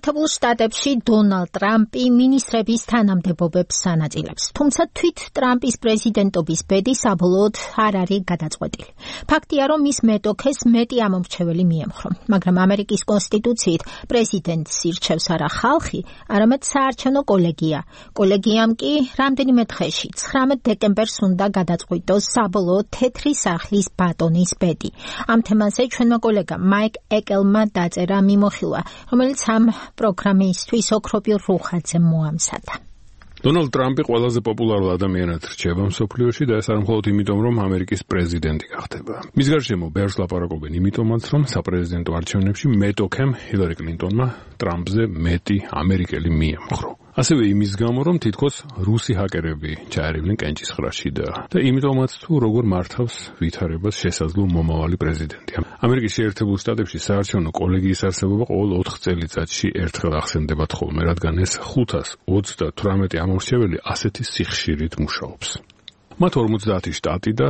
შეერთებულ შტატებში დონალდ ტრამპი მინისტრების თანამდებობებს ანაწილებს. თუმცა თვით ტრამპის პრეზიდენტობის ბედი საბოლოოდ არ არის გადაწყვეტილი. ფაქტია, რომ მის მეტოქეს მეტი ამომრჩეველი მიემხრო, მაგრამ ამერიკის კონსტიტუციით პრეზიდენტს ირჩევს არა ხალხი, არამედ საარჩევნო კოლეგია. კოლეგიამ კი რამდენიმე დღეში 19 დეკემბერს უნდა გადაწყვიტოს საბოლოოდ თეთრი სახლის ბატონის ბედი. ამ თემაზე ჩვენმა კოლეგამ მაიკ ეკელმა დაწერა მიმოხილვა, რომელიც ამ პროგრამისთვის ოქროპირ რუხაძემ მოამზადა. დონალდ ტრამპი ყველაზე პოპულარულ ადამიანად რჩება მსოფლიოში და ეს არ მხოლოდ იმიტომ, რომ ამერიკის პრეზიდენტი გახდება. მის გარშემო ბევრს ლაპარაკობენ იმიტომაც, რომ საპრეზიდენტო არჩევნებში მეტოქემ ჰილარი კლინტონმა ტრამპზე მეტი ამერიკელი მიემხრო. ასევე იმის გამო, რომ თითქოს რუსი ჰაკერები ჩაერივნენ კენჭისყრაში და იმიტომაც თუ როგორ მართავს ვითარებას შესაძლო მომავალი პრეზიდენტი. ამერიკის შეერთებულ შტატებში საარჩევნო კოლეგიის არსებობა ყოველ 4 წელიწადში ერთხელ ახსენდებათ ხოლმე, რადგან ეს 538 ამორჩეველი ასეთი სიხშირით მუშაობს. მათ 50 შტატი და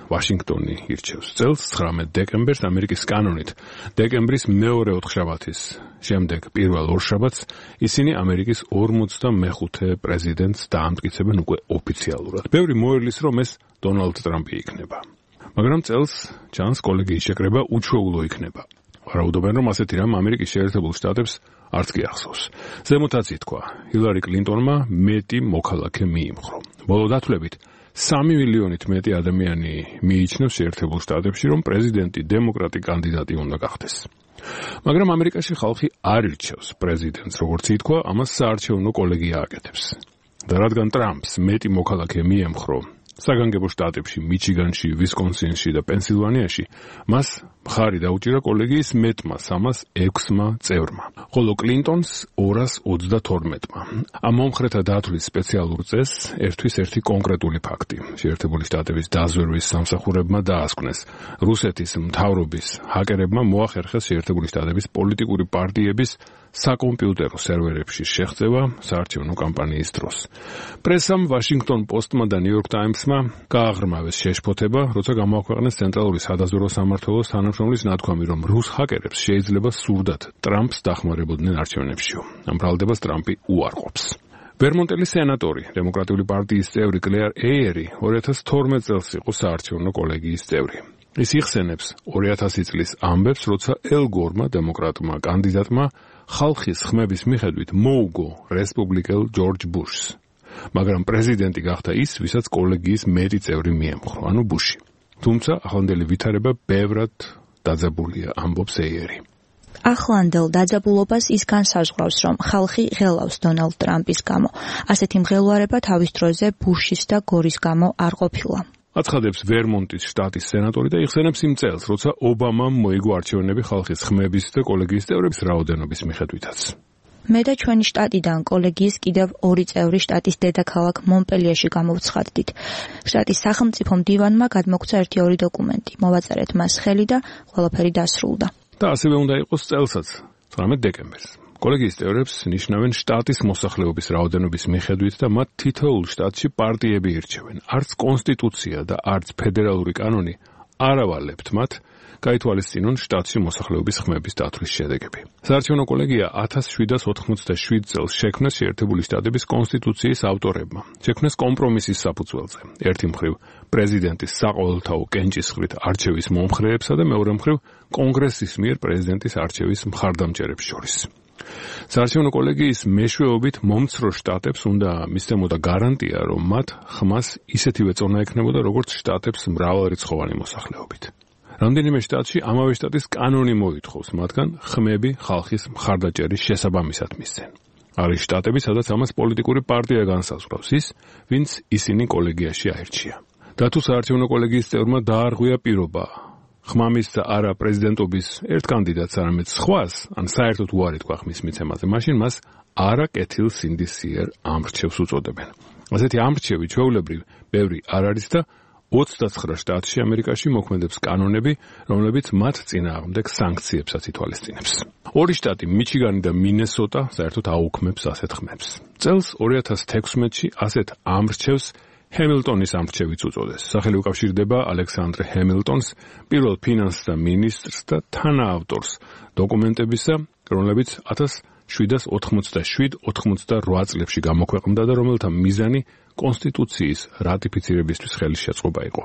ვაშინგტონი ირჩევს. წელს 19 დეკემბერს ამერიკის კანონით დეკემბრის მეორე ოთხშაბათის შემდეგ პირველ ორშაბათს ისინი ამერიკის 45 პრეზიდენტს დაამტკიცებენ უკვე ოფიციალურად. ბევრი მოერლის, რომ ეს დონალდ ტრამპი იქნება. მაგრამ წელს ჩანს კოლეგიის შეკრება უჩვეულო იქნება. ვარაუდობენ, რომ ასეთი რამ ამერიკის შეერთებულ შტატებს არც კი ახსოვს. ზემოთაც ითქვა, ჰილარი კლინტონმა მეტი მოქალაქე მიიმხრო. ბოლო დათვლებით 3 მილიონით მეტი ადამიანი მიიჩნევს შეერთებულ შტატებში, რომ პრეზიდენტი დემოკრატი კანდიდატი უნდა გახდეს. მაგრამ ამერიკაში ხალხი არ ირჩევს პრეზიდენტს, როგორც ითქვა, ამას საარჩევნო კოლეგია აკეთებს. და რადგან ტრამპს მეტი მოქალაქე მიემხრო საგანგებო შტატებში, მიჩიგანში, ვისკონსინში და პენსილვანიაში, მას მხარი დაუჭირა კოლეგიის მეტმა 306 წევრმა, ხოლო კლინტონს 222-მა. ამ მომხრეთა დათვლის სპეციალურ წესს ერთვის ერთი კონკრეტული ფაქტი. შეერთებული შტატების დაზვერვის სამსახურებმა დაასკვნეს. რუსეთის მთავრობის ჰაკერებმა მოახერხეს შეერთებული შტატების პოლიტიკური პარტიების საკომპიუტერო სერვერებში შეღწევა საარჩევნო კამპანიის დროს. პრესამ, ვაშინგტონ პოსტმა და ნიუ-იორკ ტაიმსმა გააღრმავეს შეშფოთება, როცა გამოაქვეყნეს ცენტრალური სადაზვერვო სამმართველოს თანამშრომლის ნათქვამი, რომ რუს ჰაკერებს შეიძლება სურდათ ტრამპს დახმარებოდნენ არჩევნებშიო. ამ ბრალდებას ტრამპი უარყოფს. ვერმონტელი სენატორი, დემოკრატიული პარტიის წევრი კლეარ ეიერი 2012 წელს იყო საარჩევნო კოლეგიის წევრი. ის იხსენებს 2000 წლის ამბებს, როცა ელ გორმა, დემოკრატმა კანდიდატმა ხალხის ხმების მიხედვით მოუგო რესპუბლიკელ ჯორჯ ბუშს. მაგრამ პრეზიდენტი გახდა ის, ვისაც კოლეგიის მეტი წევრი მიემხრო, ანუ ბუში. თუმცა ახლანდელი ვითარება ბევრად დაძაბულია, ამბობს ეიერი. ახლანდელ დაძაბულობას ის განსაზღვრავს, რომ ხალხი ღელავს დონალდ ტრამპის გამო. ასეთი მღელვარება თავის დროზე ბუშის და გორის გამო არ ყოფილა. აცხადებს ვერმონტის შტატის სენატორი და იხსენებს იმ წელს, როცა ობამამ მოიგო არჩევნები ხალხის ხმების და კოლეგიის წევრების რაოდენობის მიხედვითაც. მე და ჩვენი შტატიდან კოლეგიის კიდევ 2 წევრი შტატის დედაქალაქ მონპელიეში გამოვცხადდით. შტატის სახელმწიფო მდივანმა გადმოგცა 1-2 დოკუმენტი. მოვაწერეთ მას ხელი და ყველაფერი დასრულდა. და ასევე უნდა იყოს წელსაც, 19 დეკემბერს. კოლეგიის წევრებს ნიშნავენ შტატის მოსახლეობის რაოდენობის მიხედვით და მათ თითოეულ შტატში პარტიები ირჩევენ. არც კონსტიტუცია და არც ფედერალური კანონი არ ავალებთ მათ გაითვალისწინონ შტატში მოსახლეობის ხმების დათვლის შედეგები. საარჩევნო კოლეგია 1787 წელს შექმნეს შეერთებული შტატების კონსტიტუციის ავტორებმა. შექმნეს კომპრომისის საფუძველზე. ერთი მხრივ პრეზიდენტის საყოველთაო კენჭისყრით არჩევის მომხრეებსა და მეორე მხრივ კონგრესის მიერ პრეზიდენტის არჩევის მხარდამჭერებს შორის. საარჩევნო კოლეგიის მეშვეობით მომცრო შტატებს უნდა მისცემოდა გარანტია, რომ მათ ხმას ისეთივე წონა ექნებოდა, როგორც შტატებს მრავალრიცხოვანი მოსახლეობით. რამდენიმე შტატში ამავე შტატის კანონი მოითხოვს, მათგან ხმები ხალხის მხარდაჭერის შესაბამისად მისცენ. არის შტატები, სადაც ამას პოლიტიკური პარტია განსაზღვრავს ის, ვინც ისინი კოლეგიაში აირჩია. და თუ საარჩევნო კოლეგიის წევრმა დაარღვია პირობა ხმამის და არა პრეზიდენტობის ერთ კანდიდატს, არამედ სხვას, ან საერთოდ უარი თქვა ხმის მიცემაზე, მაშინ მას არა კეთილ სინდისიერ ამრჩევს უწოდებენ. ასეთი ამრჩევი ჩვეულებრივ ბევრი არ არის და 29 შტატში ამერიკაში მოქმედებს კანონები, რომლებიც მათ წინააღმდეგ სანქციებსაც ითვალისწინებს. 2 შტატი, მიჩიგანი და მინესოტა, საერთოდ აუქმებს ასეთ ხმებს. წელს 2016-ში ასეთ ამრჩევს ჰემილტონის ამრჩევიც უწოდეს. სახელი უკავშირდება ალექსანდრ ჰემილტონს, პირველ ფინანსთა მინისტრს და თანაავტორს დოკუმენტებისა, რომლებიც 787-88 წლებში გამოქვეყნდა და რომელთა მიზანი კონსტიტუციის რატიფიცირებისთვის ხელის შეწყობა იყო.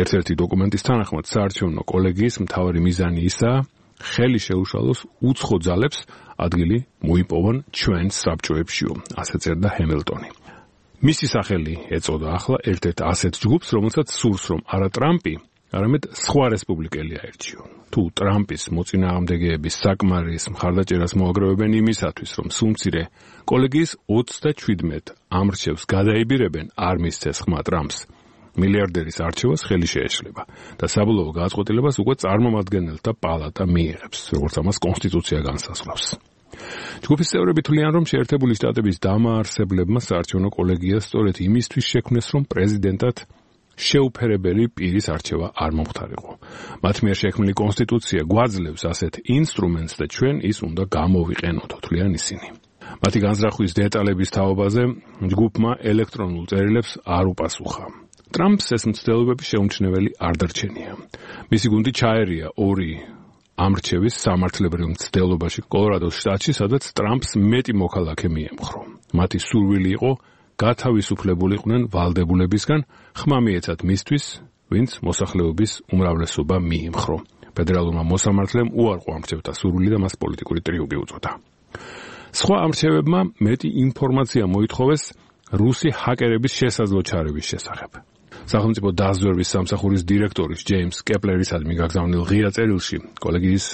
ერთ-ერთი დოკუმენტის თანახმად საარჩევნო კოლეგიის მთავარი მიზანი ისაა, ხელი შეუშალოს უცხო ძალებს ადგილი მოიპოვონ ჩვენ საბჭოებშიო, ასე წერდა ჰემილტონი. მისი სახელი ეწოდა ახლა ერთ-ერთ ასეთ ჯგუფს, რომელსაც სურს, რომ არა ტრამპი, არამედ სხვა რესპუბლიკელი აერჩიონ. თუ ტრამპის მოწინააღმდეგეების საკმარის მხარდაჭერას მოაგროვებენ იმისათვის, რომ სუმცირე კოლეგიის 37 ამრჩევს გადაიბირებენ, არ მისცეს ხმა ტრამპს, მილიარდერის არჩევას ხელი შეეშლება და საბოლოო გადაწყვეტილებას უკვე წარმომადგენელთა პალატა მიიღებს, როგორც ამას კონსტიტუცია განსაზღვრავს. ჯგუფის წევრები თვლიან, რომ შეერთებული შტატების დამაარსებლებმა საარჩევნო კოლეგიას სწორედ იმისთვის შექმნეს, რომ პრეზიდენტად შეუფერებელი პირის არჩევა არ მომხდარიყო. მათ მიერ შექმნილი კონსტიტუცია გვაძლევს ასეთ ინსტრუმენტს და ჩვენ ის უნდა გამოვიყენოთ, თვლიან ისინი. მათი განზრახვის დეტალების თაობაზე ჯგუფმა ელექტრონულ წერილებს არ უპასუხა. ტრამპს ეს მცდელობები შეუმჩნეველი არ დარჩენია. მისი გუნდი ჩაერია 2 ამრჩევის სამართლებრივ მცდელობაში კოლორადოს შტატში, სადაც ტრამპს მეტი მოქალაქე მიემხრო. მათი სურვილი იყო გათავისუფლებულიყვნენ ვალდებულებისგან, ხმა მიეცათ მისთვის, ვინც მოსახლეობის უმრავლესობა მიიმხრო. ფედერალურმა მოსამართლემ უარყო ამრჩევთა სურვილი და მას პოლიტიკური ტრიუმფი უწოდა. სხვა ამრჩევებმა მეტი ინფორმაცია მოითხოვეს რუსი ჰაკერების შესაძლო ჩარევის შესახებ. სახელმწიფო დაზვერვის სამსახურის დირექტორის ჯეიმს კეპლერისადმი გაგზავნილ ღია წერილში კოლეგიის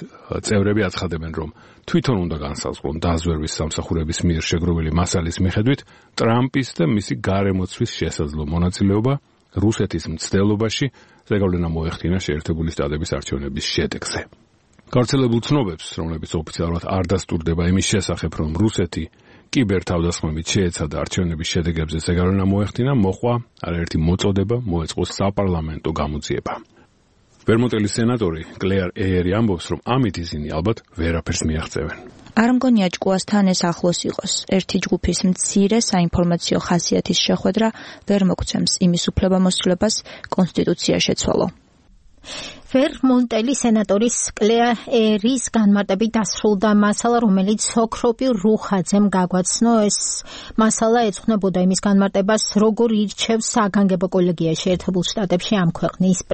წევრები აცხადებენ, რომ თვითონ უნდა განსაზღვრონ დაზვერვის სამსახურების მიერ შეგროვილი მასალის მიხედვით ტრამპის და მისი გარემოცვის შესაძლო მონაწილეობა რუსეთის მცდელობაში, ზეგავლენა მოეხდინა შეერთებული შტატების არჩევნების შედეგზე. გავრცელებულ ცნობებს, რომლებიც ოფიციალურად არ დასტურდება იმის შესახებ, რომ რუსეთი კიბერთავდასხმებით შეეცადა არჩევნების შედეგებზე ზეგავლენა მოეხდინა, მოყვა არაერთი მოწოდება მოეწყო საპარლამენტო გამოძიება. ვერმონტელის სენატორი კლეარ ეიერი ამბობს, რომ ამით ისინი ალბათ ვერაფერს მიაღწევენ. არ მგონია ჭკუასთან ეს ახლოს იყოს. ერთი ჯგუფის მცირე საინფორმაციო ხასიათის შეხვედრა ვერ მოგცემს იმის უფლებამოსილებას კონსტიტუცია შეცვალო. ვერმონტელის სენატორის კლეარ ერის განმარტებით დასრულდა მასალა, რომელიც ოქროპი რუხაძემ გაგვაცნო. ეს მასალა ეძღვნებოდა იმის განმარტებას, როგორ ირჩევს საგანგებო კოლეგია შეერთებულ შტატებში ამ ქვეყნის